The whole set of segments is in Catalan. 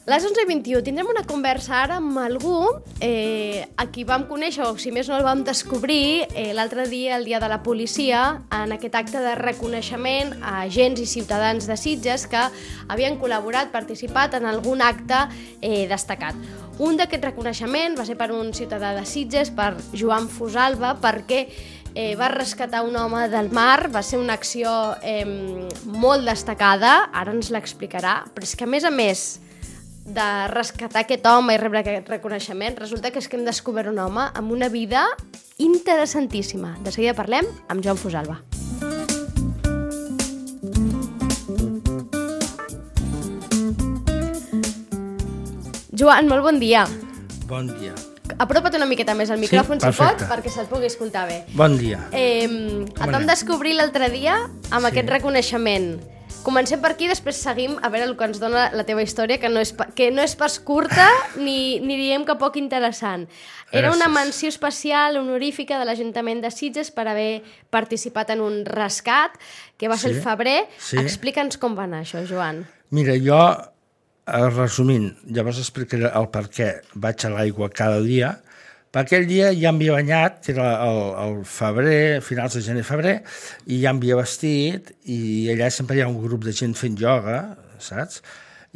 Les 11:21 tindrem una conversa ara amb algú a qui vam conèixer, o si més no el vam descobrir l'altre dia, el dia de la policia, en aquest acte de reconeixement a agents i ciutadans de Sitges que havien col·laborat, participat en algun acte destacat. Un d'aquests reconeixements va ser per un ciutadà de Sitges, per Joan Fosalva, perquè va rescatar un home del mar. Va ser una acció molt destacada, ara ens l'explicarà, però és que a més de rescatar aquest home i rebre aquest reconeixement, resulta que és que hem descobert un home amb una vida interessantíssima. De seguida parlem amb Joan Fosalva. Joan, molt bon dia. Bon dia. Apropa't una miqueta més al micròfon, Sí, si pot, perfecte. perquè se'l pugui escoltar bé. Bon dia. Et vam descobrir l'altre dia amb aquest reconeixement. Comencem per aquí, després seguim a veure el que ens dona la teva història, que no és pas curta ni diem que poc interessant. Era una menció especial honorífica de l'Ajuntament de Sitges per haver participat en un rescat, que va ser el febrer. Sí. Explica'ns com va anar això, Joan. Mira, jo, resumint, llavors explicaré el per què vaig a l'aigua cada dia. Per aquell dia ja em havia banyat, que era el febrer, finals de gener-febrer, i ja em havia vestit, i allà sempre hi ha un grup de gent fent ioga, saps?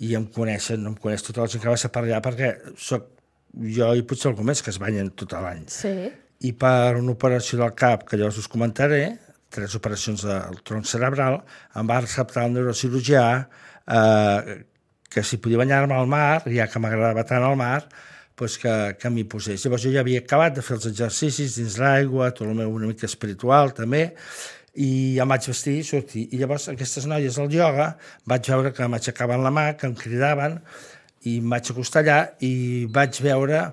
I em coneixen, no em coneix tota la gent que va ser per allà, perquè soc jo i potser algú més que es banyen tot l'any. Sí. I per una operació del cap, que llavors us comentaré, 3 operacions del tronc cerebral, em va acceptar el neurocirurgià que si podia banyar-me al mar, ja que m'agradava tant el mar, doncs que m'hi posés. Llavors jo ja havia acabat de fer els exercicis dins l'aigua, tot el meu una mica espiritual també, i em vaig vestir i sortir. I llavors aquestes noies del ioga vaig veure que m'aixecaven la mà, que em cridaven, i em vaig acostar allà i vaig veure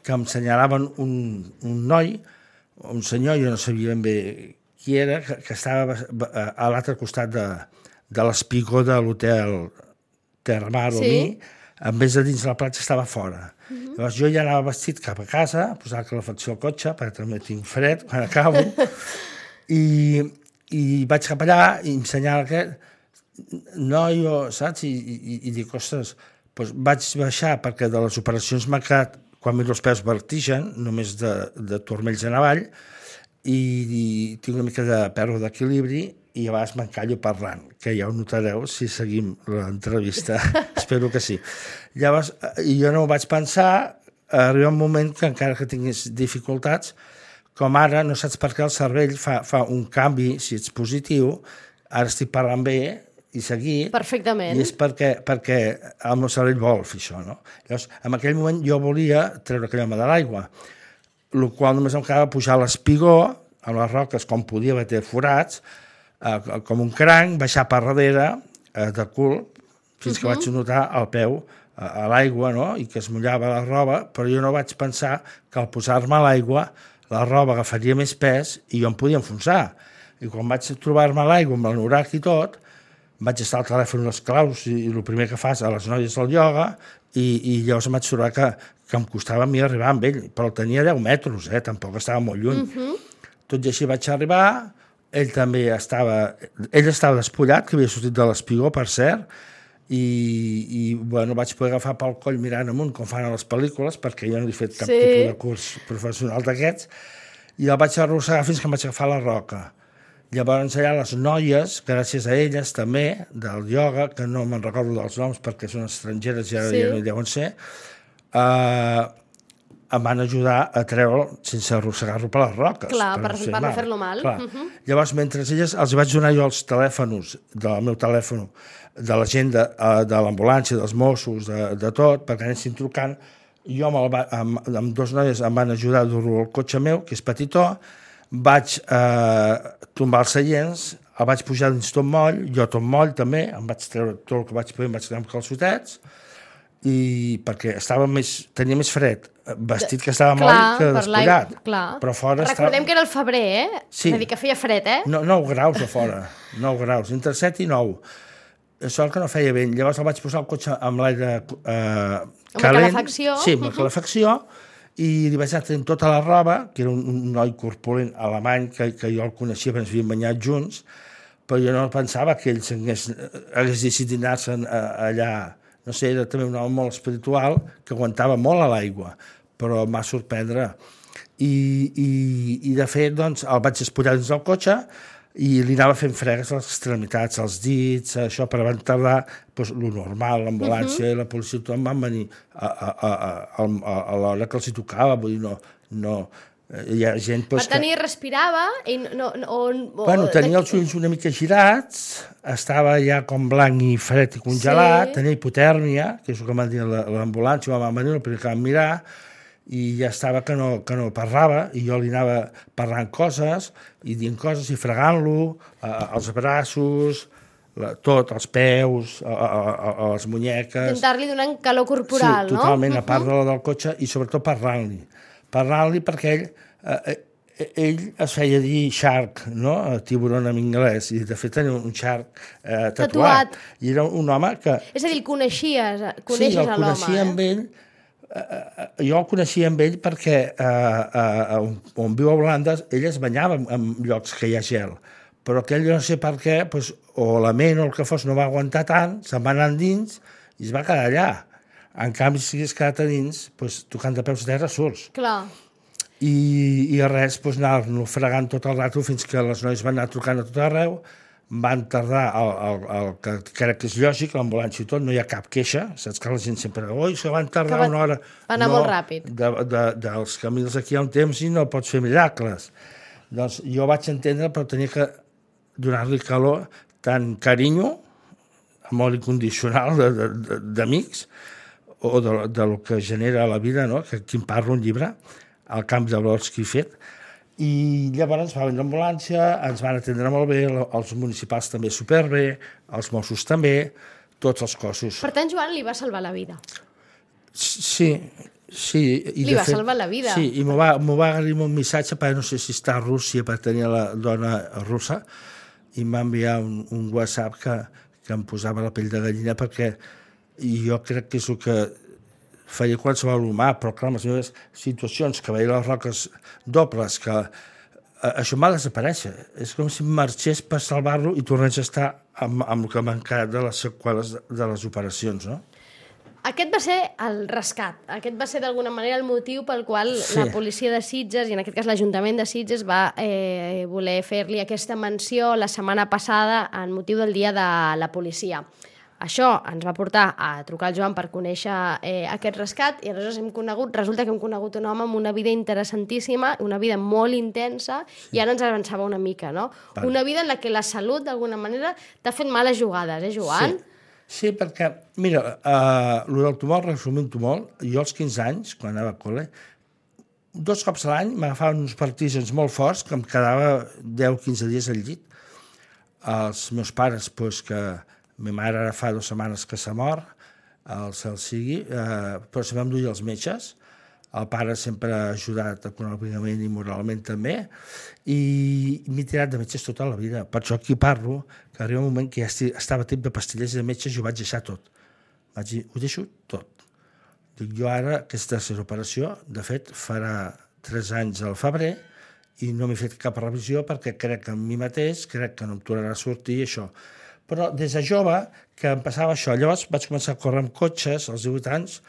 que em senyalaven un noi, un senyor, jo no sabia ben bé qui era, que estava a l'altre costat de l'espigó de l'hotel Terramar o Mi, en vez de dins la platja estava fora. Llavors jo ja anava vestit cap a casa, a posar calefacció al cotxe, perquè també tinc fred quan acabo, i vaig cap allà i em senyala aquest noi, saps? I dic, ostres, doncs vaig baixar perquè de les operacions m'ha quedat, quan miro els peus, vertigen, només de turmells en avall, i tinc una mica de pèrdua d'equilibri, i a vegades m'encallo parlant, que ja ho notareu si seguim l'entrevista. Espero que sí. Llavors, jo no ho vaig pensar, arriba un moment que encara que tingués dificultats, com ara, no saps per què el cervell fa un canvi, si ets positiu, ara estic parlant bé i seguit. Perfectament. I és perquè el meu cervell vol fer això, no? Llavors, en aquell moment jo volia treure aquell home de l'aigua, el qual només em quedava pujar a l'espigó, amb les roques, com podia, va tenir forats, com un cranc, baixar per darrere, de cul, fins que vaig notar el peu a l'aigua, no? I que es mullava la roba, però jo no vaig pensar que al posar-me a l'aigua la roba agafaria més pes i jo em podia enfonsar. I quan vaig trobar-me a l'aigua amb l'anorac i tot, vaig estar al telèfon les claus i el primer que fas a les noies del ioga i llavors em vaig trobar que em costava a mi arribar amb ell, però el tenia 10 metres, tampoc estava molt lluny. Tot i així vaig arribar, ell estava despullat, que havia sortit de l'espigó, per cert, i bueno, vaig poder agafar pel coll mirant amunt, com fan a les pel·lícules, perquè jo no he fet cap tipus de curs professional d'aquests, i el vaig arrossegar fins que em vaig agafar la roca. Llavors allà les noies, gràcies a elles també, del ioga, que no me'n recordo dels noms perquè són estrangeres i ara ja no hi deuen ser, em van ajudar a treure'l sense arrossegar-lo per les roques. Clar, per no fer-lo mal. Llavors, mentre elles, els vaig donar jo els telèfons del meu telèfon, de la gent de l'ambulància, dels Mossos, de tot, perquè anessin trucant. Jo amb 2 noies em van ajudar a dur-lo al cotxe meu, que és petitó, vaig tombar els seients, el vaig pujar dins tot moll, jo tot moll també, em vaig treure tot el que vaig poder, em vaig treure amb calçotets, i perquè tenia més fred vestit que estava moll que despullat. Però fora recordem que era el febrer, Sí. És a dir, que feia fred, 9 graus a fora, 9 graus, entre 7 i 9. Sort que no feia vent. Llavors el vaig posar al cotxe amb l'aire calent. Amb la calefacció. Sí, amb la calefacció, i li vaig anar tenint tota la roba, que era un noi corpulent alemany, que jo el coneixia, perquè ens havíem banyat junts, però jo no pensava que ell hagués decidit anar-se'n allà no sé, era també un home molt espiritual que aguantava molt a l'aigua, però em va sorprendre. I de fet, doncs, el vaig espullar dins del cotxe i li anava fent fregues a les extremitats, als dits, això, però van tardar doncs, lo normal, l'ambulància i la policia, tothom van venir a l'hora que els hi tocava, vull dir, no hi ha gent... Per tant, ell respirava i Bueno, tenia els ulls una mica girats, estava ja com blanc i fred i congelat, tenia hipotèrmia, que és el que m'han dit l'ambulància, van venir, el primer que van mirar, i ja estava que no parlava, i jo li anava parlant coses, i dient coses, i fregant-lo, els braços, tot, els peus, a les munyeques... Intentar-li donar calor corporal, no? Sí, totalment, a part de la del cotxe, i sobretot parlant-li perquè ell es feia dir shark, no? Tiburon en anglès, i de fet tenia un shark tatuat. I era un home que... És a dir, el coneixes a l'home. Sí, el coneixia amb ell. Jo el coneixia amb ell perquè on viu a Holanda ell es banyava en llocs que hi ha gel, però aquell no sé per què, o la ment o el que fos no va aguantar tant, se'n va anar dins i es va quedar allà. En canvi, si hagués quedat a dins, tocant de peus a terra, surts. Clar. I res, anar-lo fregant tot el rato fins que les noies van anar trucant a tot arreu, van tardar, el que crec que és lògic, l'ambulància i tot, no hi ha cap queixa, saps que la gent sempre diu, oi, se van tardar una hora. Va anar molt ràpid. Dels camins aquí hi ha un temps i no pots fer miracles. Doncs jo vaig entendre, però tenia que donar-li calor, tant carinyo, amor incondicional d'amics, o de lo que genera la vida, no? Que aquí em parla un llibre, El camp de valors que he fet, i llavors va venir l'ambulància, ens van atendre molt bé, els municipals també superbé, els Mossos també, tots els cossos. Per tant, Joan li va salvar la vida. Sí. Li va salvar la vida. Sí, i m'ho va arribar un missatge, perquè no sé si està a Rússia, perquè tenia la dona russa, i m'ha enviat un WhatsApp que em posava la pell de gallina, perquè jo crec que és el que feia qualsevol humà, però clar, en les meves situacions, que veia les roques dobles, que això m'ha desaparèixer. És com si marxés per salvar-lo i tornés a estar amb el que m'ha quedat de les seqüeles de les operacions, no? Aquest va ser el rescat. Aquest va ser d'alguna manera el motiu pel qual la policia de Sitges, i en aquest cas l'Ajuntament de Sitges, va voler fer-li aquesta menció la setmana passada en motiu del Dia de la Policia. Això ens va portar a trucar al Joan per conèixer aquest rescat i aleshores resulta que hem conegut un home amb una vida interessantíssima, una vida molt intensa, i ara ens avançava una mica, no? Una vida en la que la salut, d'alguna manera, t'ha fet males jugades, Joan? Sí, perquè, mira, el del tumor, resumint-ho molt, jo als 15 anys, quan anava a col·le, 2 cops a l'any m'agafaven uns partígens molt forts que em quedava 10-15 dies al llit. Els meus pares, que ma mare ara fa 2 setmanes que s'ha mort, el cel sigui, però se vam dur els metges. El pare sempre ha ajudat econòmicament i moralment també, i m'he tirat de metges tota la vida. Per això aquí parlo, que arriba un moment que ja estava tip de pastilles i de metges i ho vaig deixar tot. Vaig dir, ho deixo tot. Dic, jo ara, aquesta tercera operació, de fet, farà 3 anys al febrer, i no m'he fet cap revisió perquè crec en mi mateix, crec que no em tornarà a sortir i això. Però des de jove que em passava això. Llavors vaig començar a córrer amb cotxes als 18 anys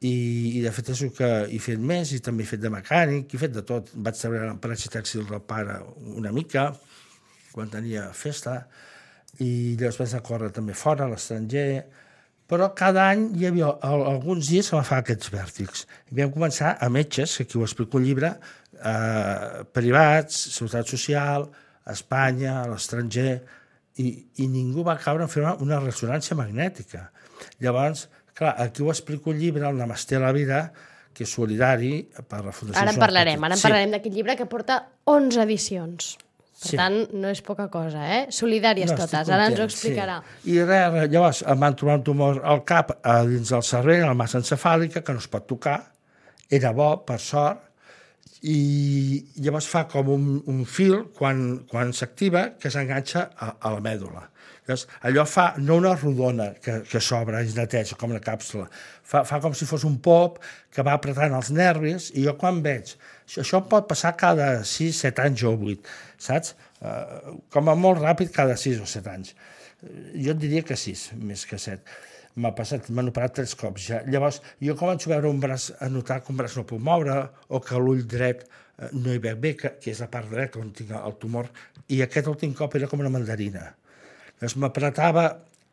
i de fet és el que he fet més, i també he fet de mecànic, he fet de tot. Vaig treballar a l'empresa tèxtil del pare una mica, quan tenia festa, i llavors vaig anar a córrer també fora, a l'estranger, però cada any hi havia alguns dies que m'agafava aquests vèrtics. I vam començar a metges, que aquí ho explico un llibre, privats, Seguretat Social, a Espanya, a l'estranger, i ningú va caure en fer una ressonància magnètica. Llavors, clar, aquí ho explico un llibre, el Namasté a la vida, que és solidari per la Fundació... Ara en parlarem d'aquest llibre que porta 11 edicions. Per tant, no és poca cosa, Solidàries totes, ara ens ho explicarà. I res, llavors em van trobar un tumor al cap, dins del cervell, a la massa encefàlica, que no es pot tocar. Era bo, per sort, i llavors fa com un fil quan s'activa que s'enganxa a la mèdula. Llavors, allò fa no una rodona que s'obre i es neteja com una càpsula, fa com si fos un pop que va apretant els nervis, i jo quan veig això pot passar cada 6, 7 anys o 8, saps? Com a molt ràpid cada 6 o 7 anys. Jo et diria que 6, més que 7. m'ha passat, m'han operat 3 cops ja. Llavors, jo començo a veure un braç, a notar que un braç no puc moure, o que l'ull dret no hi veig bé, que és la part dreta on tinc el tumor, i aquest últim cop era com una mandarina. Llavors m'apretava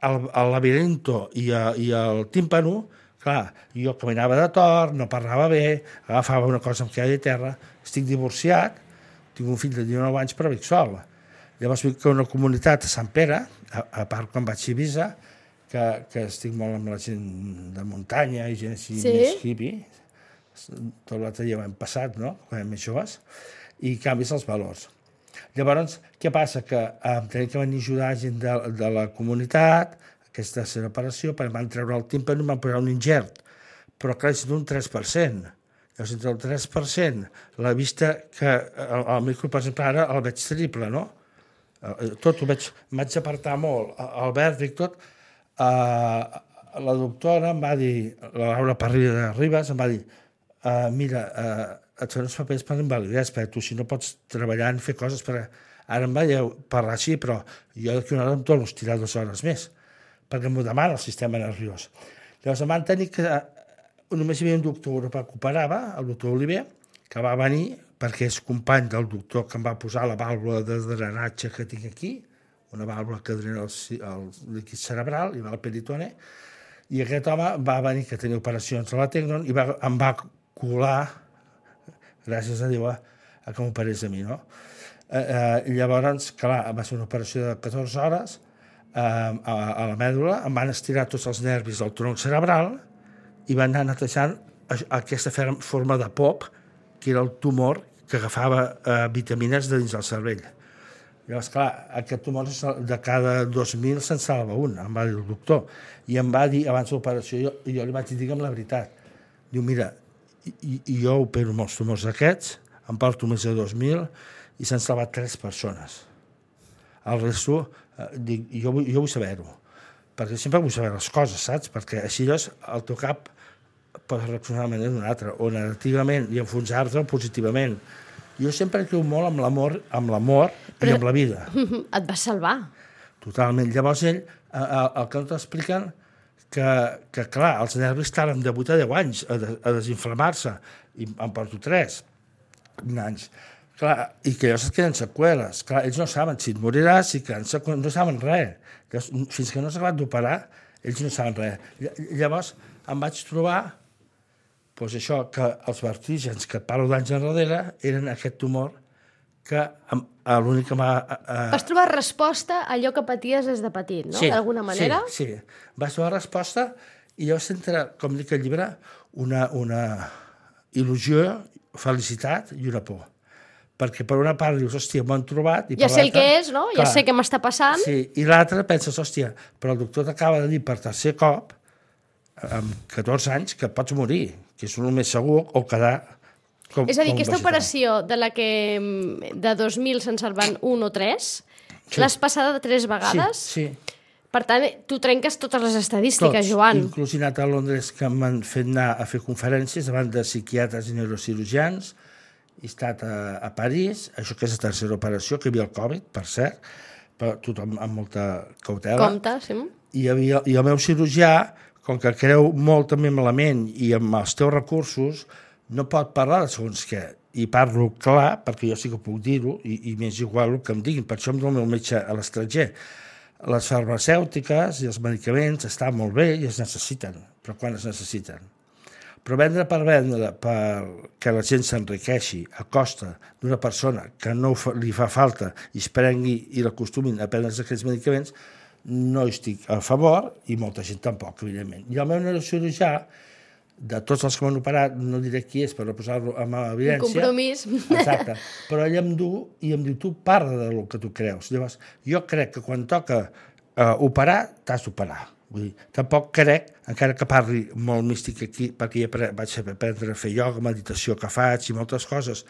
el labirinto i el tímpano, clar, jo caminava de tort, no parlava bé, agafava una cosa amb queda de terra, estic divorciat, tinc un fill de 19 anys però vic sol. Llavors vic una comunitat a Sant Pere, a part quan vaig a Eivissa, que estic molt amb la gent de muntanya i gent així més hippie. Tot l'altre dia ho hem passat, no?, quan érem més joves, i canvis els valors. Llavors, què passa? Que em tenia que venir a ajudar gent de la comunitat, aquesta tercera operació, perquè van treure el tímpano i van posar un ingert, però clar, és d'un 3%. Llavors, entre el 3%, la vista que el micro, per exemple, ara el veig triple, no? Tot ho veig, m'haig d'apartar molt, el vèrtic, tot. La doctora em va dir, la Laura Parrilla de Ribes, em va dir, mira, et fan uns papers per invalidesa, perquè tu si no pots treballar en fer coses, perquè ara em va parlar així, però jo d'aquí una hora em torno a estirar 2 hores més, perquè m'ho demana el sistema nerviós. Llavors em van tenir que... Només hi havia un doctor europeu que operava, el doctor Oliver, que va venir perquè és company del doctor que em va posar la vàlvula de drenatge que tinc aquí, una vàlvula que drena el líquid cerebral i va al peritone, i aquest home va venir, que tenia operacions a la Tecnon, i em va colar, gràcies a Déu, a que m'operés a mi, no? Llavors, clar, va ser una operació de 14 hores a la mèdula, em van estirar tots els nervis del tronc cerebral i van anar netejant aquesta forma de pop, que era el tumor que agafava vitamines de dins del cervell. Llavors, clar, aquest tumor de cada 2.000 se'n salva un, em va dir el doctor. I em va dir, abans de l'operació, jo li vaig dir, digue'm la veritat. Diu, mira, jo opero molts tumors d'aquests, em porto més de 2.000 i s'han salvat 3 persones. El resto, dic, jo vull saber-ho, perquè sempre vull saber les coses, saps? Perquè així el teu cap pot reaccionar de manera d'una altra, o negativament, i enfonsar-te positivament. Jo sempre creu molt amb l'amor i amb la vida. Et vas salvar. Totalment. Llavors ell, el que no t'expliquen, que clar, els nervis tarden de 8 a 10 anys a desinflamar-se, i em porto 3 anys. Clar, i que llavors et queden seqüeles. Clar, ells no saben si et moriràs, si queden seqüeles, no saben res. Fins que no s'ha acabat d'operar, ells no saben res. Llavors em vaig trobar doncs això, que els vertígens que et parlo d'anys enrere eren aquest tumor que l'únic que m'ha... Vas trobar resposta a allò que paties des de petit, no? Sí, d'alguna manera? Sí. Vas trobar resposta i llavors entra, com dic al llibre, una il·lusió, felicitat i una por. Perquè per una part dius, hòstia, m'ho han trobat... Ja sé el que és, no? Ja sé què m'està passant. Sí, i l'altra penses, hòstia, però el doctor t'acaba de dir per tercer cop, amb 14 anys, que pots morir, que és el més segur, o quedar... És a dir, aquesta operació de la que de 2.000 se'n salven 1 o 3, l'has passada 3 vegades? Sí. Per tant, tu trenques totes les estadístiques, Joan. Inclús he anat a Londres, que m'han fet anar a fer conferències davant de psiquiatres i neurocirurgians, he estat a París, això que és la tercera operació, que hi havia el Covid, per cert, però tothom amb molta cautela. Compte, sí. I el meu cirurgià, com que creu molt també amb la ment i amb els teus recursos, no pot parlar de segons què. I parlo clar, perquè jo sí que puc dir-ho, i m'és igual el que em diguin. Per això em dono el meu metge a l'estranger. Les farmacèutiques i els medicaments estan molt bé i es necessiten, però quan es necessiten? Però vendre, perquè la gent s'enriqueixi a costa d'una persona que no li fa falta i es prengui i l'acostumin a prendre aquests medicaments, no hi estic a favor i molta gent tampoc, evidentment. I el meu neurocirurgià, de tots els que m'han operat, no diré qui és per no posar-lo en evidència. Un compromís. Exacte. Però ell em diu, tu parla del que tu creus. Llavors, jo crec que quan toca operar, t'has d'operar. Vull dir, tampoc crec, encara que parli molt místic aquí, perquè ja vaig aprendre a fer ioga, meditació que faig i moltes coses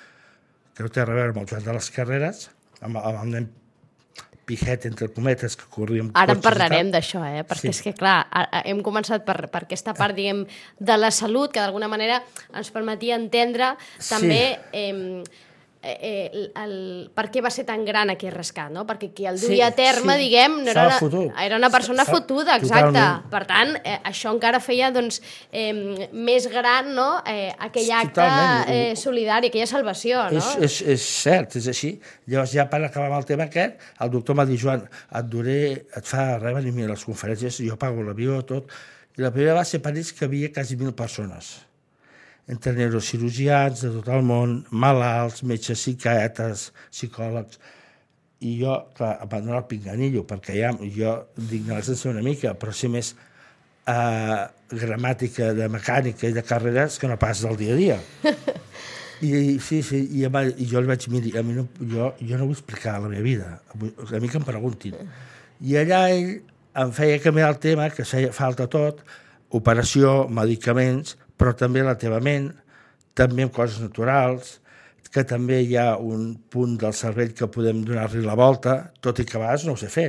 que no té a veure amb el Joan de les Carreres, amb el nen pijet, entre cometes, que corria amb cotxes. Ara en parlarem d'això, perquè és que, clar, hem començat per aquesta part, diguem, de la salut, que d'alguna manera ens permetia entendre també per què va ser tan gran aquest rescat, no? Perquè qui el duia a terme, diguem, era una persona fotuda, exacte. Totalment. Per tant, això encara feia més gran, no? Aquell acte solidari, aquella salvació, no? És cert, és així. Llavors, ja per acabar amb el tema aquest, el doctor m'ha dit, Joan, et fa res venir a les conferències, jo pago l'avió, tot. I la primera va ser a París, que havia quasi 1.000 persones. Entre neurocirurgians de tot el món, malalts, metges psiquiatres, psicòlegs. I jo, clar, em van donar el pinganillo, perquè ja jo d'ignorància una mica, però sé més gramàtica de mecànica i de carreres que no pas del dia a dia. I jo li vaig dir, miri, jo no vull explicar la meva vida, a mi que em preguntin. I allà ell em feia canviar el tema, que feia falta tot, operació, medicaments, però també la teva ment, també amb coses naturals, que també hi ha un punt del cervell que podem donar-li la volta, tot i que a vegades no ho sé fer.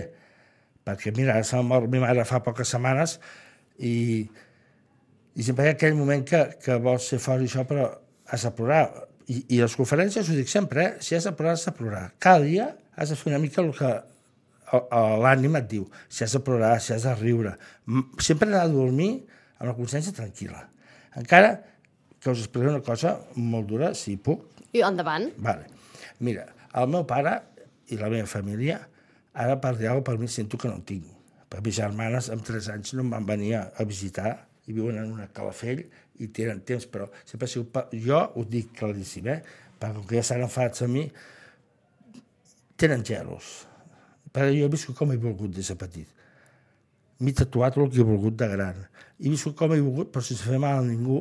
Perquè, mira, se m'ha mort ma mare fa poques setmanes i sempre hi ha aquell moment que vols ser fort i això, però has de plorar. I a les conferències ho dic sempre, si has de plorar, has de plorar. Cada dia has de fer una mica el que l'ànim et diu. Si has de plorar, si has de riure. Sempre anar a dormir amb la consciència tranquil·la. Encara que us explicaré una cosa molt dura, si puc. I endavant. Vale. Mira, el meu pare i la meva família, ara per dir alguna cosa per mi sento que no en tinc. Per mis germanes, amb 3 anys, no em van venir a visitar i viuen en una Calafell i tenen temps, però sempre ha sigut... Jo ho dic claríssim, perquè com que ja s'han enfadats a mi, tenen gelos. Perquè jo he viscut com he volgut des de petit. M'he tatuat el que he volgut de gran. He viscut com he volgut, però sense fer mal a ningú,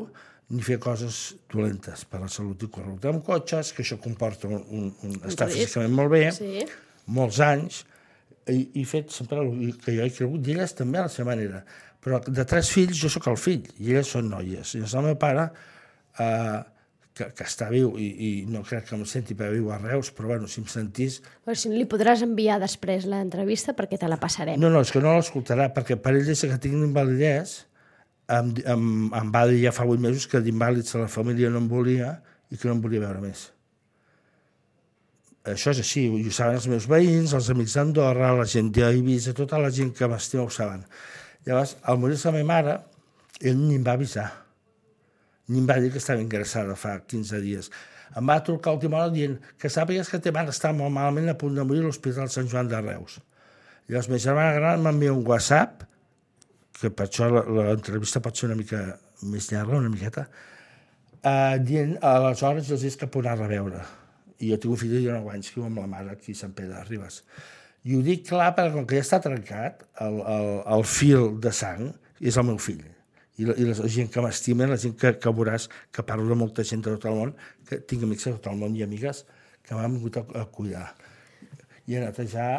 ni fer coses dolentes per a la salut i correcte. Amb cotxes, que això comporta un estar físicament molt bé, molts anys, i he fet sempre el que jo he cregut, i elles també a la seva manera. Però de 3 fills, jo sóc el fill, i elles són noies. I el meu pare, que està viu, i no crec que em senti perquè viu a Reus, però bueno, si em sentís... Però si li podràs enviar després l'entrevista perquè te la passarem. No, és que no l'escoltarà, perquè per ell, des que tinc invalidesa, em va dir ja fa 8 mesos que d'invàlids a la família no em volia i que no em volia veure més. Això és així, ho saben els meus veïns, els amics d'Andorra, la gent d'Eivissa, tota la gent que m'estima ho saben. Llavors, al morir-se la meva mare, ell ni em va avisar. Ni em va dir que estava ingressada fa 15 dies. Em va trucar a última hora dient que sàpigues que teva mare està molt malament a punt de morir a l'Hospital Sant Joan de Reus. Llavors, ma germana gran m'envia un WhatsApp, que per això l'entrevista pot ser una mica més llarga, una miqueta, dient aleshores els dies que pot anar a veure. I jo tinc un fill de 19 anys que viu amb la mare aquí a Sant Pere de Ribes. I ho dic clar perquè com que ja està trencat, el fil de sang és el meu fill. I la gent que m'estima, la gent que veuràs, que parlo de molta gent de tot el món, que tinc amics de tot el món i amigues que m'han vingut a cuidar. I a netejar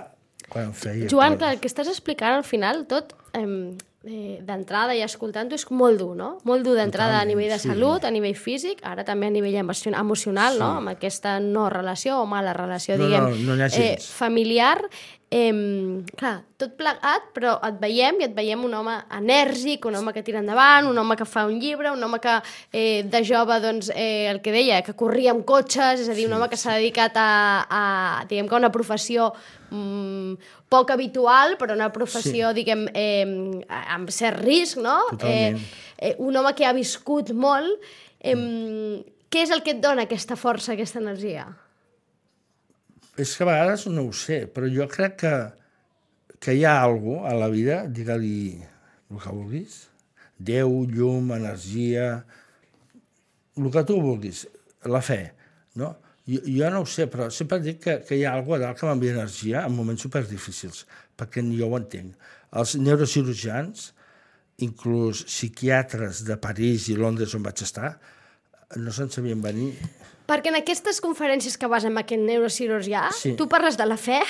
quan em feia... Joan, clar, el que estàs explicant al final, tot d'entrada i escoltant-ho és molt dur, no? Molt dur d'entrada a nivell de salut, a nivell físic, ara també a nivell emocional, no? Amb aquesta no relació o mala relació, diguem, familiar. Clar, tot plegat, però et veiem un home enèrgic, un home que tira endavant, un home que fa un llibre, un home que de jove, doncs, el que deia, que corria amb cotxes, és a dir, un home que s'ha dedicat a diguem que una professió poc habitual, però una professió, diguem, amb cert risc, no? Totalment. Un home que ha viscut molt. Què és el que et dona aquesta força, aquesta energia? És que a vegades no ho sé, però jo crec que hi ha alguna cosa a la vida, digue-li el que vulguis, Déu, llum, energia, el que tu vulguis, la fe, no? Jo no ho sé, però sempre dic que hi ha alguna cosa que m'envia energia en moments superdifícils, perquè ni jo ho entenc. Els neurocirurgians, inclús psiquiatres de París i Londres on vaig estar, no se'n sabien venir. Perquè en aquestes conferències que vas amb aquest neurocirurgià, tu parles de la fe?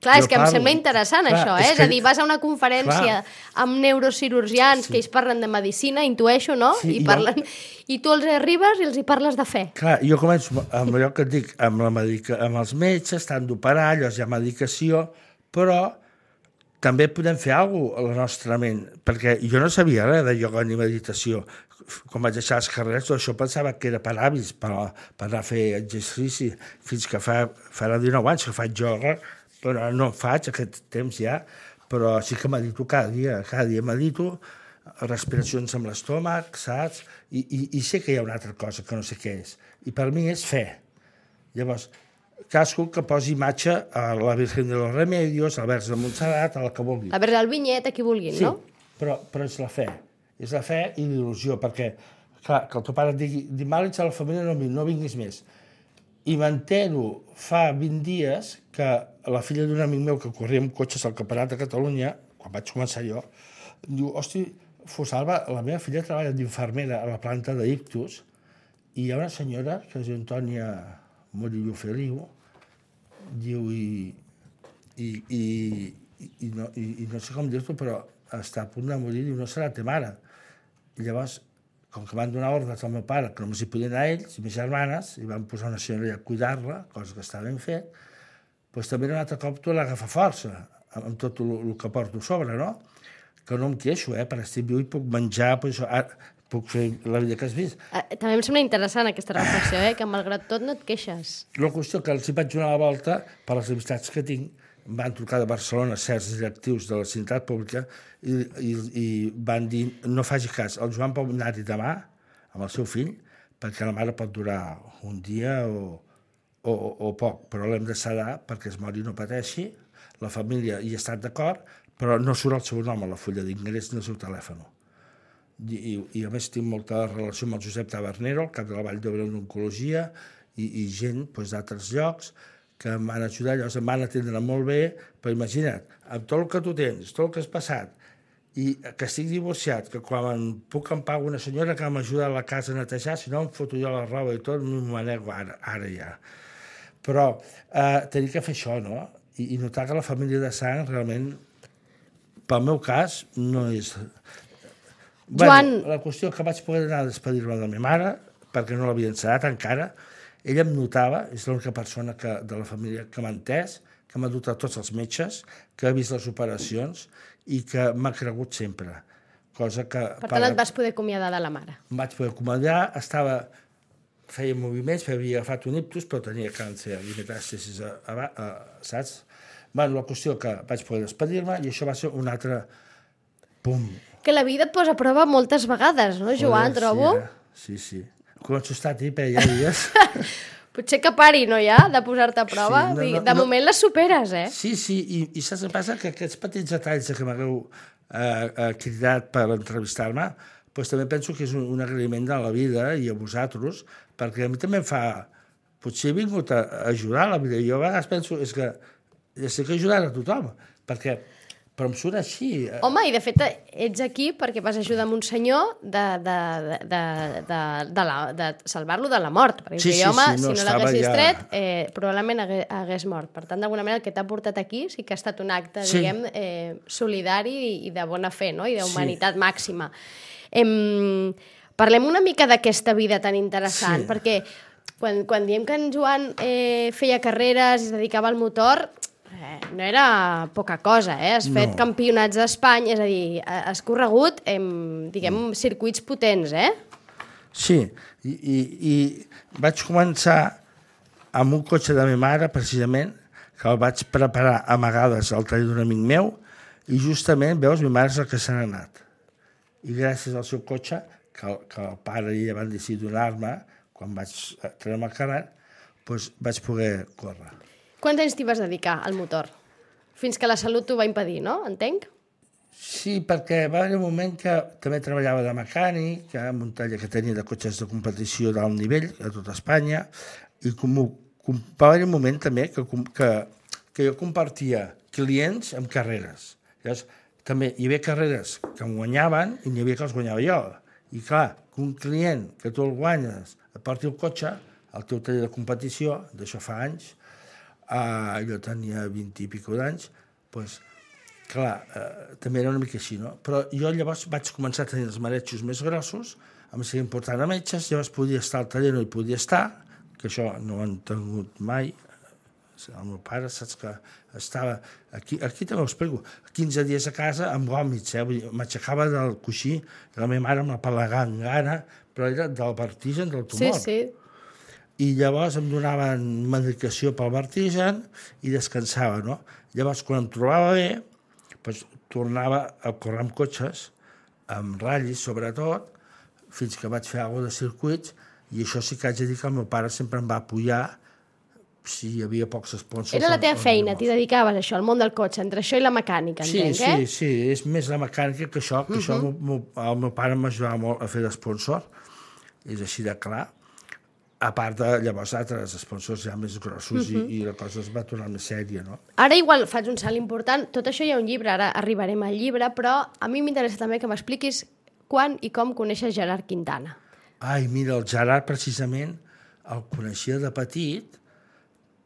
Clar, és que em sembla interessant això, És a dir, vas a una conferència amb neurocirurgians que ells parlen de medicina, intueixo, no? I tu els arribes i els hi parles de fe. Clar, jo començo amb allò que et dic, amb els metges, t'han d'operar, llavors hi ha medicació, però també podem fer alguna cosa a la nostra ment, perquè jo no sabia res de ioga ni meditació. Quan vaig deixar les carreres, tot això pensava que era per hàbits, per anar a fer exercici, fins que farà 19 anys que faig ioga, però no en faig aquest temps ja, però sí que medito cada dia medito, respiracions amb l'estómac, saps? I sé que hi ha una altra cosa que no sé què és. I per mi és fe. Llavors, cadascú que posi imatge a la Virgen de los Remedios, al Verge de Montserrat, a la que vulgui. A veure, el vinyet, a qui vulguin, sí, no? Però és la fe. És la fe i l'il·lusió, perquè, clar, que el teu pare et digui dimàlits a la família no vinguis més. I m'entero fa 20 dies que la filla d'un amic meu que corria amb cotxes al Campionat de Catalunya, quan vaig començar jo, diu, hosti, Fosalba, la meva filla treballa d'infermera a la planta d'Ictus i hi ha una senyora, que es diu Antònia Murillo Feliu, diu, i no sé com dir-t'ho, però està a punt de morir, diu, no serà te mare. I llavors, com que van donar ordres al meu pare, que només hi podien anar ells i mes germanes, i van posar una senyora a cuidar-la, cosa que està ben fet, doncs també un altre cop tu l'agafa força, amb tot el que porto a sobre, no? Que no em queixo, per estar viu i puc menjar, puc fer la vida que has vist. També em sembla interessant aquesta reflexió, que malgrat tot no et queixes. La qüestió que els hi vaig donar la volta per les amistats que tinc, em van trucar de Barcelona certs directius de la sanitat pública i van dir, no faci cas, el Joan pot anar-hi demà amb el seu fill, perquè la mare pot durar un dia o poc, però l'hem de sedar perquè es mori i no pateixi, la família hi ha estat d'acord, però no surt el seu nom a la fulla d'ingrés ni el seu telèfon. I a més tinc molta relació amb el Josep Tabernero, el cap de la Vall d'Hebron d'Oncologia, i gent d'altres llocs que em van ajudar, llavors em van atendre molt bé, però imagina't, amb tot el que tu tens, tot el que has passat, i que estic divorciat, que quan em puc em pago una senyora que m'ajuda a la casa a netejar, si no em foto jo la roba i tot, m'ho manego ara ja. Però tenir que fer això, no? I notar que la família de sang realment, pel meu cas, no és... Joan... La qüestió que vaig poder anar a despedir-me de la meva mare, perquè no l'havia encetat encara, ella em notava, és l'única persona de la família que m'ha entès, que m'ha dut a tots els metges, que ha vist les operacions i que m'ha cregut sempre. Cosa que... Per tant, et vas poder acomiadar de la mare. Em vaig poder acomiadar, feia moviments, havia agafat un ictus, però tenia càncer i metàstasis, saps? La qüestió que vaig poder despedir-me i això va ser un altre pum. Que la vida et posa a prova moltes vegades, no, Joan, trobo? Sí. Començo a estar tipa, ja dies. Potser que pari, no, ja, de posar-te a prova? De moment les superes, eh? Sí, i saps què passa? Que aquests petits detalls que m'hagueu cridat per entrevistar-me, doncs també penso que és un agraïment de la vida i a vosaltres, perquè a mi també em fa... Potser he vingut a ajudar a la vida. Jo a vegades penso que estic ajudant a tothom, però em surt així. Home, i de fet ets aquí perquè vas ajudar un senyor de salvar-lo de la mort. Perquè sí, home, no, si no l'haguessis tret, probablement hagués mort. Per tant, d'alguna manera, el que t'ha portat aquí sí que ha estat un acte, diguem, solidari i de bona fe, no? I d'humanitat màxima. Parlem una mica d'aquesta vida tan interessant, perquè quan diem que en Joan feia carreres i es dedicava al motor... No era poca cosa, Has fet campionats d'Espanya, és a dir, has corregut, diguem, circuits potents, Sí, i vaig començar amb un cotxe de la meva mare, precisament, que el vaig preparar amagades al taller d'un amic meu, i justament, veus, mi mare és el que se n'ha anat. I gràcies al seu cotxe, que el pare i ella van decidir donar-me, quan vaig treure el carnet, doncs vaig poder córrer. Quants anys t'hi vas dedicar al motor? Fins que la salut t'ho va impedir, no? Entenc? Sí, perquè va haver un moment que també treballava de mecànic, en un taller que tenia de cotxes de competició d'alt nivell a tot Espanya, i va haver un moment també que jo compartia clients amb carreres. Llavors, també hi havia carreres que em guanyaven i n'hi havia que els guanyava jo. I clar, que un client que tu el guanyes et porti el cotxe al teu taller de competició, d'això fa anys, jo tenia 20 i pico d'anys, doncs, clar, també era una mica així, no? Però jo llavors vaig començar a tenir els maretxos més grossos, em seguia important a metges, llavors podia estar al taller, no hi podia estar, que això no ho han tingut mai, El meu pare, saps que estava... Aquí també ho explico. 15 dies a casa amb vòmits, m'aixecava del coixí, la meva mare amb la palegant gana, però era del vertigen del tumor. Sí. I llavors em donaven medicació pel vertigen i descansava, no? Llavors, quan em trobava bé, doncs, tornava a córrer amb cotxes, amb ratllis, sobretot, fins que vaig fer alguna de circuits, i això sí que haig de dir que el meu pare sempre em va apoyar si hi havia pocs sponsors. Era la teva feina, t'hi dedicaves a això, al món del cotxe, entre això i la mecànica, entenc, eh? Sí, és més la mecànica que això, que això el meu pare m'ajudava molt a fer d'esponsor, és així de clar, a part de llavors altres sponsors ja més grossos i la cosa es va tornar més sèria, no? Ara igual faig un salt important, tot això hi ha un llibre, ara arribarem al llibre, però a mi m'interessa també que m'expliquis quan i com coneixes Gerard Quintana. Ai, mira, el Gerard precisament el coneixia de petit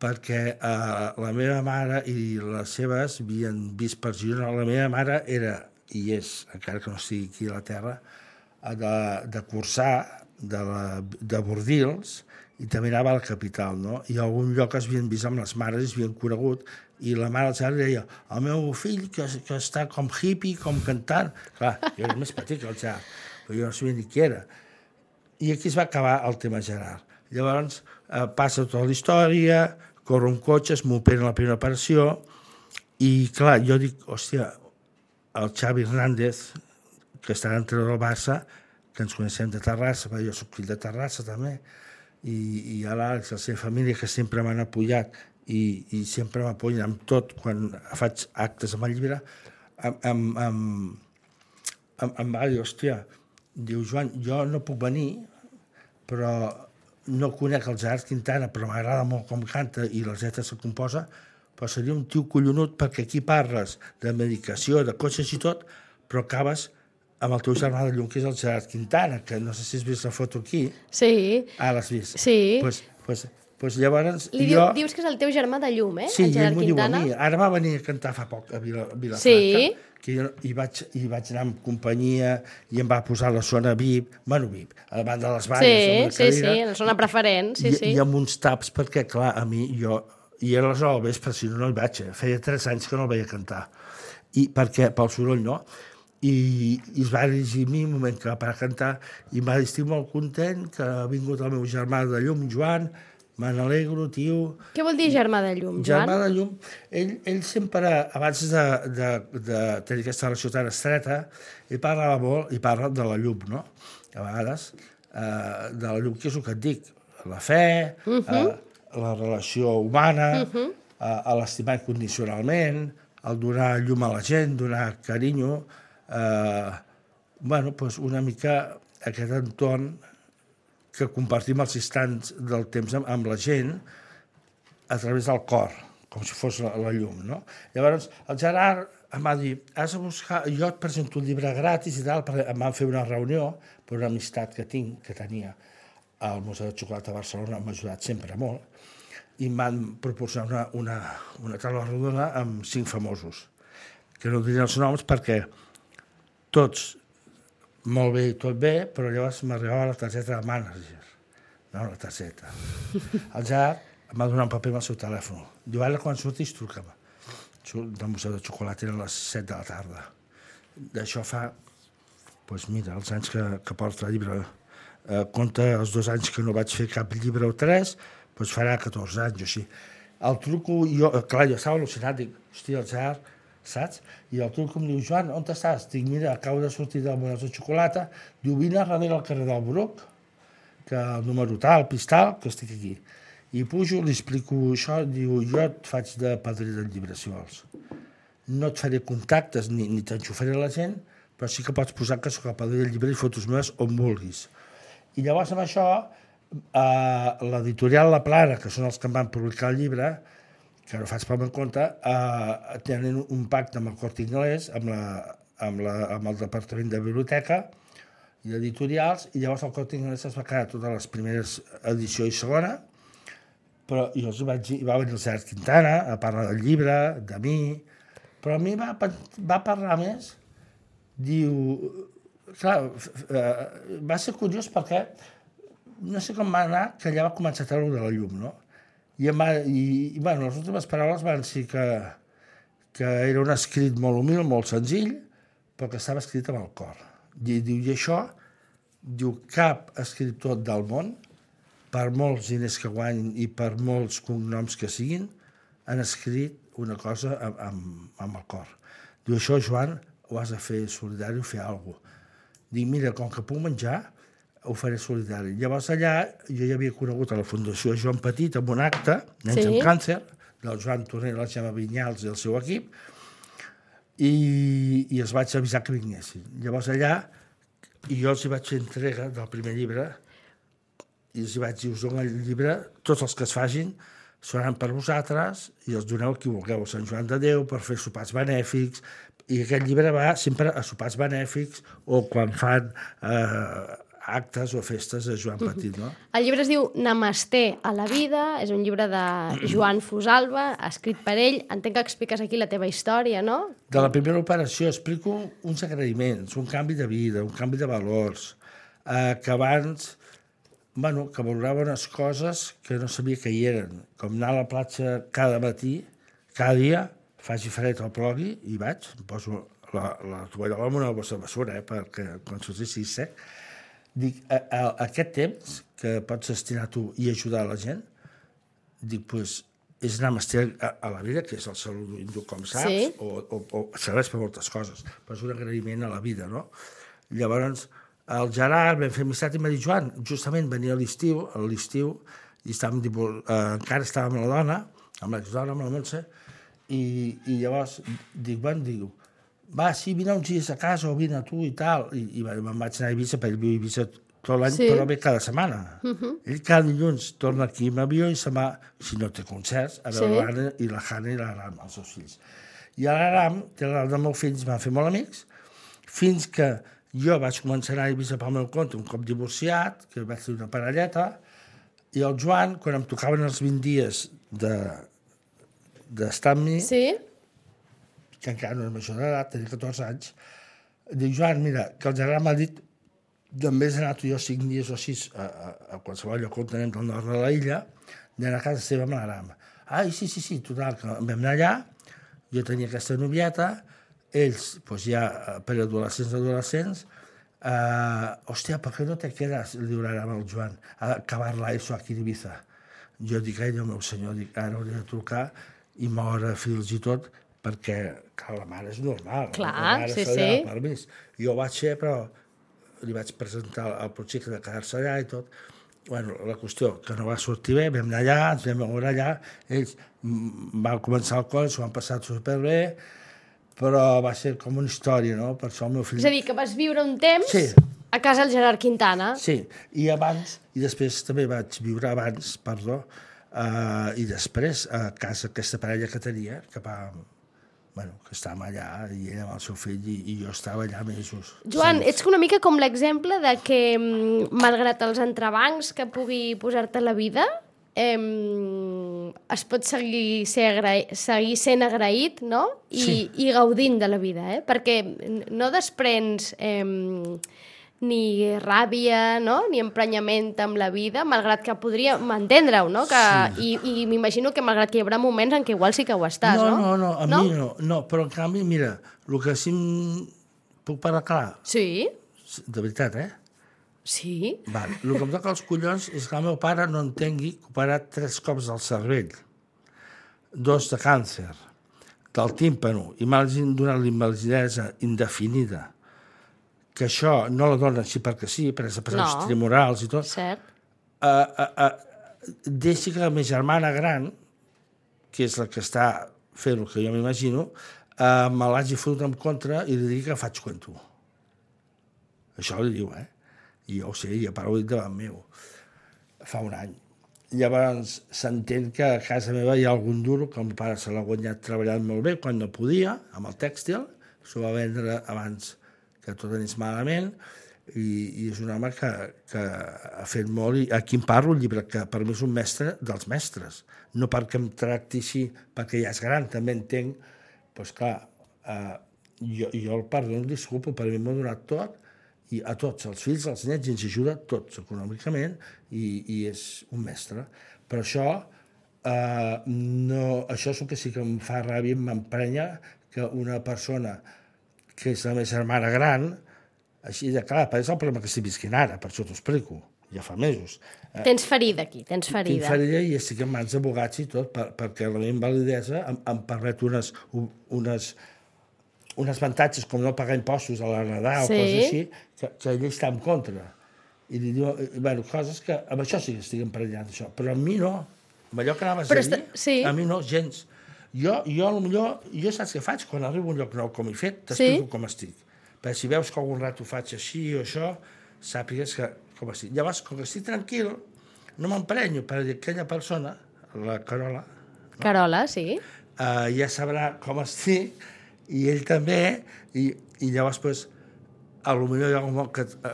perquè la meva mare i les seves havien vist per Girona. La meva mare era, i és, encara que no estigui aquí a la Terra, de Cursà, de Bordils, i també anava a la capital, no? I a algun lloc es havien vist amb les mares, es havien conegut, i la mare del Gerard deia, el meu fill que està com hippie, com cantant. Clar, jo era més petit que el Gerard, però jo no sabia ni qui era. I aquí es va acabar el tema Gerard. Llavors passa tota la història, corro un cotxe, es m'opera la primera operació, i clar, jo dic, hòstia, el Xavi Hernández, que està entrenador del Barça, que ens coneixem de Terrassa, perquè jo soc fill de Terrassa també, i l'Àlex, la seva família, que sempre m'han apoyat i sempre m'apoyen amb tot quan faig actes amb el llibre, em va dir, hòstia, diu, Joan, jo no puc venir, però no conec el Gerard Quintana, però m'agrada molt com canta i les lletres que composa, però seria un tio collonut perquè aquí parles de medicació, de cotxes i tot, però acabes amb el teu germà de llum, que és el Gerard Quintana, que no sé si has vist la foto aquí. Sí. Ah, l'has vist? Sí. Pues llavors... Dius que és el teu germà de llum, eh? Sí, el Gerard ell m'ho diu a Quintana. mi. Ara va venir a cantar fa poc a Vilafranca, Sí. que jo hi vaig anar amb companyia i em va posar la zona VIP, bueno, VIP, a davant de les valles, Sí, la zona preferent, sí. I amb uns taps, perquè, clar, a mi, i a les 9 del vespre, si no hi vaig, feia 3 anys que no el veia cantar, i perquè, pel soroll, no? I es va dirigir a mi un moment que va parar a cantar i em va dir, estic molt content que ha vingut el meu germà de llum, Joan, me n'alegro, tio. Què vol dir germà de llum, Joan? Germà de llum, ell sempre, abans de tenir aquesta relació tan estreta, ell parlava molt, i parla de la llum, no? A vegades, de la llum, que és el que et dic, la fe, la relació humana, l'estimar incondicionalment, el donar llum a la gent, donar carinyo, bueno, doncs una mica aquest entorn que compartim els instants del temps amb la gent a través del cor, com si fos la llum, no? Llavors, el Gerard em va dir, has de buscar, jo et presento un llibre gratis i tal, perquè em van fer una reunió per una amistat que tenia al Museu de Xocolata de Barcelona, m'ha ajudat sempre molt, i em van proporcionar una taula rodona amb 5 famosos, que no diré els noms perquè tots molt bé i tot bé, però llavors m'arribava la targeta de manager. No, la targeta. El Gerard em va donar un paper amb el seu telèfon. Diu, ara quan surtis, truca'm. Del Museu de Xocolata eren les 7 de la tarda. D'això fa, doncs mira, els anys que porta el llibre. Compte els 2 anys que no vaig fer cap llibre o 3, doncs farà 14 anys o així. El truco, clar, jo estava al·lucinat, dic, hòstia, el Gerard, saps? I el truco em diu, Joan, on estàs? Dic, mira, acabo de sortir del Museu de Xocolata. Diu, vine a darrere al carrer del Bruc, que el número tal, pistal, que estic aquí. I pujo, li explico això, diu, jo et faig de padrí del llibre, si vols. No et faré contactes ni t'enxufaré la gent, però sí que pots posar que soc el padrí del llibre i fotos meves on vulguis. I llavors amb això, l'editorial La Plana, que són els que em van publicar el llibre, que no faig pel meu compte, tenen un pacte amb el Corte Inglés, amb el Departament de Biblioteca i d'editorials, i llavors el Corte Inglés es va quedar totes les primeres edició i segona, però jo els vaig dir, va venir el Gerard Quintana a parlar del llibre, de mi, però a mi va parlar més, diu, clar, va ser curiós perquè no sé com va anar, que allà va començar a treure de la llum, no? Bueno, les últimes paraules van ser que era un escrit molt humil, molt senzill, però que estava escrit amb el cor. I diu, i això, diu, cap escriptor del món, per molts diners que guanyin i per molts cognoms que siguin, han escrit una cosa amb el cor. Diu, això, Joan, ho has de fer solidari o fer alguna cosa. Dic, mira, com que puc menjar, ho faré solidari. Llavors allà jo ja havia conegut a la Fundació Joan Petit amb un acte, Nens amb Càncer, del Joan Torner, la Gemma Vinyals i el seu equip, i els vaig avisar que vinguessin. Llavors allà, i jo els hi vaig fer entrega del primer llibre, i els hi vaig dir, us dono el llibre, tots els que es facin seran per vosaltres, i els doneu a qui vulgueu, a Sant Joan de Déu, per fer sopars benèfics, i aquest llibre va sempre a sopars benèfics, o quan fan actes o festes de Joan Petit, no? El llibre es diu Namasté a la vida, és un llibre de Joan Fusalva, escrit per ell. Entenc que expliques aquí la teva història, no? De la primera operació explico uns agraïments, un canvi de vida, un canvi de valors, que abans, bueno, que valorava unes coses que no sabia que hi eren, com anar a la platja cada matí, cada dia, faci fred o plogui, i vaig, em poso la tovallola amb una bossa de basura, perquè quan sortissi sec. Dic, aquest temps que pots destinar tu i ajudar la gent, dic, doncs, és namasté a la vida, que és el saludo hindú, com saps, o serveix per moltes coses, però és un agraïment a la vida, no? Llavors, el Gerard vam fer amistat i m'ha dit, Joan, justament venia a l'estiu, i encara estàvem amb la dona, amb l'exdona, amb la Montse, i llavors dic, bueno, va, sí, vine uns dies a casa o vine a tu i tal. I me'n vaig anar a Eivissa, perquè ell viu a Eivissa tot l'any, però ve cada setmana. Ell cada dilluns torna aquí amb avió i se'n va, si no té concerts, a veure l'Anna i la Hanna i l'Aram, els seus fills. I l'Aram, té l'Aram dels meus fills, van fer molt amics, fins que jo vaig començar a anar a Eivissa pel meu compte, un cop divorciat, que vaig fer una parelleta, i el Joan, quan em tocaven els 20 dies d'estar amb mi, que encara no era major d'edat, tenia 14 anys, dic, Joan, mira, que el Gerard m'ha dit d'en vez d'anar tu i jo 5 dies o 6 a qualsevol lloc on anem del nord de l'illa, d'anar a casa seva amb l'Aram. Ai, sí, total, que vam anar allà, jo tenia aquesta novieta, ells, doncs ja per adolescents, hòstia, per què no te quedes, li diu l'Aram al Joan, a acabar l'ESO aquí a Ibiza? Jo dic, ai, Déu meu senyor, dic, ara hauria de trucar i moure fils i tot, perquè, clar, la mare és normal. Clar, la mare sí. Permís. Jo ho vaig fer, però li vaig presentar el projecte de quedar-se allà i tot. Bueno, la qüestió, que no va sortir bé, vam anar allà, ens vam veure allà, ells van començar el col, s'ho van passar superbé, però va ser com una història, no? Per això el meu fill... És a dir, que vas viure un temps a casa del Gerard Quintana. Sí, i després també vaig viure i després a casa aquesta parella que tenia, que estàvem allà, i ella amb el seu fill, i jo estava allà mesos. Joan, ets una mica com l'exemple de que, malgrat els entrebancs que pugui posar-te la vida, es pot seguir sent agraït, no? I gaudint de la vida, perquè no desprens ni ràbia, no? Ni emprenyament amb la vida, malgrat que podríem entendre-ho, no? I m'imagino que malgrat que hi haurà moments en què igual sí que ho estàs, no? No, a mi no, però en canvi, mira, el que sí puc parlar clar. Sí. De veritat, Sí. Vale. El que em toca als collons és que el meu pare no entengui que ha operat 3 cops del cervell, 2 de càncer, del tímpano, i m'ha donat l'invalidesa indefinida, que això no la dona així perquè sí, per els pressions tremorals i tot. Cert. Deixi que la meva germana gran, que és la que està fent el que jo m'imagino, me l'hagi fotut en contra i li digui que faig cuento. Això li diu, I jo ho sé, i a part ho he dit davant meu. Fa un any. Llavors s'entén que a casa meva hi ha algun duro que el meu pare se l'ha guanyat treballant molt bé quan no podia, amb el tèxtil, s'ho va vendre abans que tot anés malament, i és un home que ha fet molt, i aquí em parlo un llibre que per mi és un mestre dels mestres, no perquè em tracti així, perquè ja és gran, també entenc, doncs clar, jo el perdono, disculpo, per mi m'ha donat tot, i a tots, els fills, els nets, ens ajuda tots econòmicament, i és un mestre. Per això No, això és el que sí que em fa ràbia, m'emprenya que una persona que és la meva germana gran, així de clar, és el problema que estic visquint ara, per això t'ho explico, ja fa mesos. Tens ferida aquí, tens ferida. Tinc ferida i estic en mans d'abogats i tot, perquè la meva invalidesa em permet unes avantatges com no pagar impostos a la Nadal o coses així, que ell està en contra. I li diu, bueno, coses que amb això sí que estic emprenyat, això, però a mi no. Amb allò que anaves a dir, a mi no, gens. Jo saps què faig? Quan arribo a un lloc nou com he fet, t'explico com estic. Perquè si veus que algun rato faig així o això, sàpigues com estic. Llavors, com que estic tranquil, no m'emprenyo, perquè aquella persona, la Carola... Carola, sí. Ja sabrà com estic, i ell també, i llavors, doncs, potser hi ha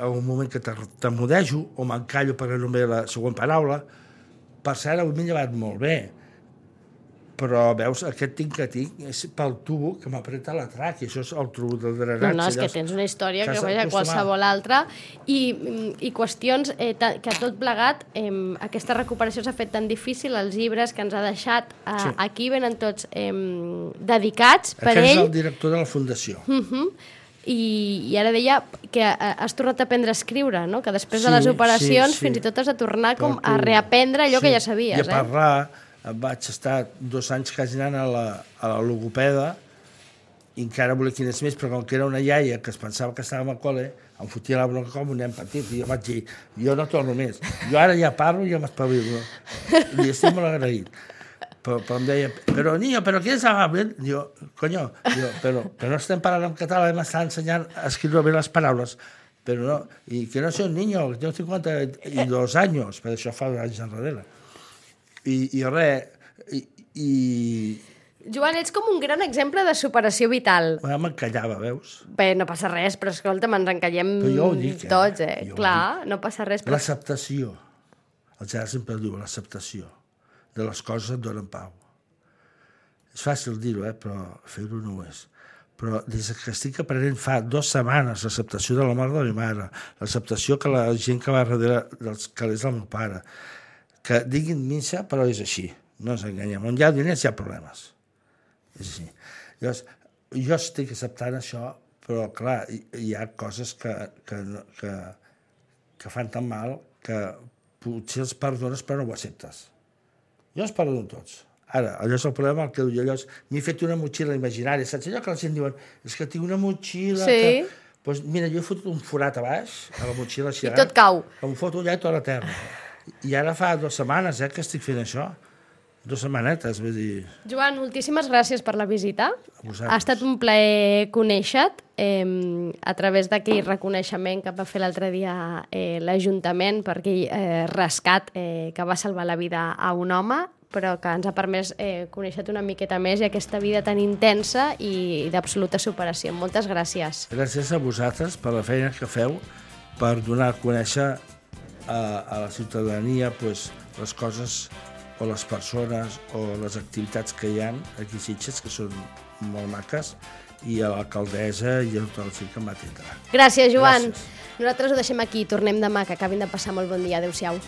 un moment que t'emudejo o m'encallo perquè no em ve la següent paraula. Per cert, avui m'he llevat molt bé, però veus, aquest tinc és pel tubo que m'apreta la tràquea, això és el tubo del drenatge. No, és que tens una història que vaja qualsevol altra, i qüestions que tot plegat, aquesta recuperació s'ha fet tan difícil, els llibres que ens ha deixat aquí venen tots dedicats per ell. Aquest és el director de la Fundació. I ara deia que has tornat a aprendre a escriure, no? Que després de les operacions fins i tot has de tornar a reaprendre allò que ja sabies. I a parlar, vaig estar 2 anys quasi anant a la logopeda i encara volia que anés més, però com que era una iaia que es pensava que estàvem al col·le, em fotia la bronca com un nen petit, i jo vaig dir, jo no torno més. Jo ara ja parlo i ja m'espavilo. Li estic molt agraït. Però em deia, però niño, però què és amable? Diu, coño, però no estem parlant en català, m'està ensenyant a escriure bé les paraules, però no, i que no soy un niño, que tengo 52 anys, per això fa 2 anys enrere. I res, Joan, ets com un gran exemple de superació vital. M'encallava, veus? Bé, no passa res, però escolta, ens encallem tots, Clar, no passa res. L'acceptació. El Gerard sempre diu, l'acceptació de les coses et donen pau. És fàcil dir-ho, però fer-ho no ho és. Però des que estic aprenent fa 2 setmanes l'acceptació de la mort de la meva mare, l'acceptació que la gent que va darrere dels calés del meu pare, que diguin missa, però és així, no ens enganyem. On hi ha diners hi ha problemes. És així. Llavors, jo estic acceptant això, però clar, hi ha coses que fan tan mal que potser els perdones però no ho acceptes. Jo els perdono tots. Ara, allò és el problema, el que jo m'he fet una motxilla imaginària, saps allò que la gent diuen, és que tinc una motxilla que... Doncs mira, jo he fotut un forat a baix, a la motxilla així. I tot cau. Em foto allà i tota la terra. I ara fa 2 setmanes que estic fent això. 2 setmanetes, vull dir... Joan, moltíssimes gràcies per la visita. Ha estat un plaer conèixer-te a través d'aquell reconeixement que va fer l'altre dia l'Ajuntament per aquell rescat que va salvar la vida a un home, però que ens ha permès conèixer-te una miqueta més i aquesta vida tan intensa i d'absoluta superació. Moltes gràcies. Gràcies a vosaltres per la feina que feu per donar a conèixer a la ciutadania les coses o les persones o les activitats que hi ha aquí a Sitges, que són molt maques, i a l'alcaldessa i a tot el que em va atendre. Gràcies, Joan. Gràcies. Nosaltres ho deixem aquí. Tornem demà, que acabin de passar molt bon dia. Adéu-siau.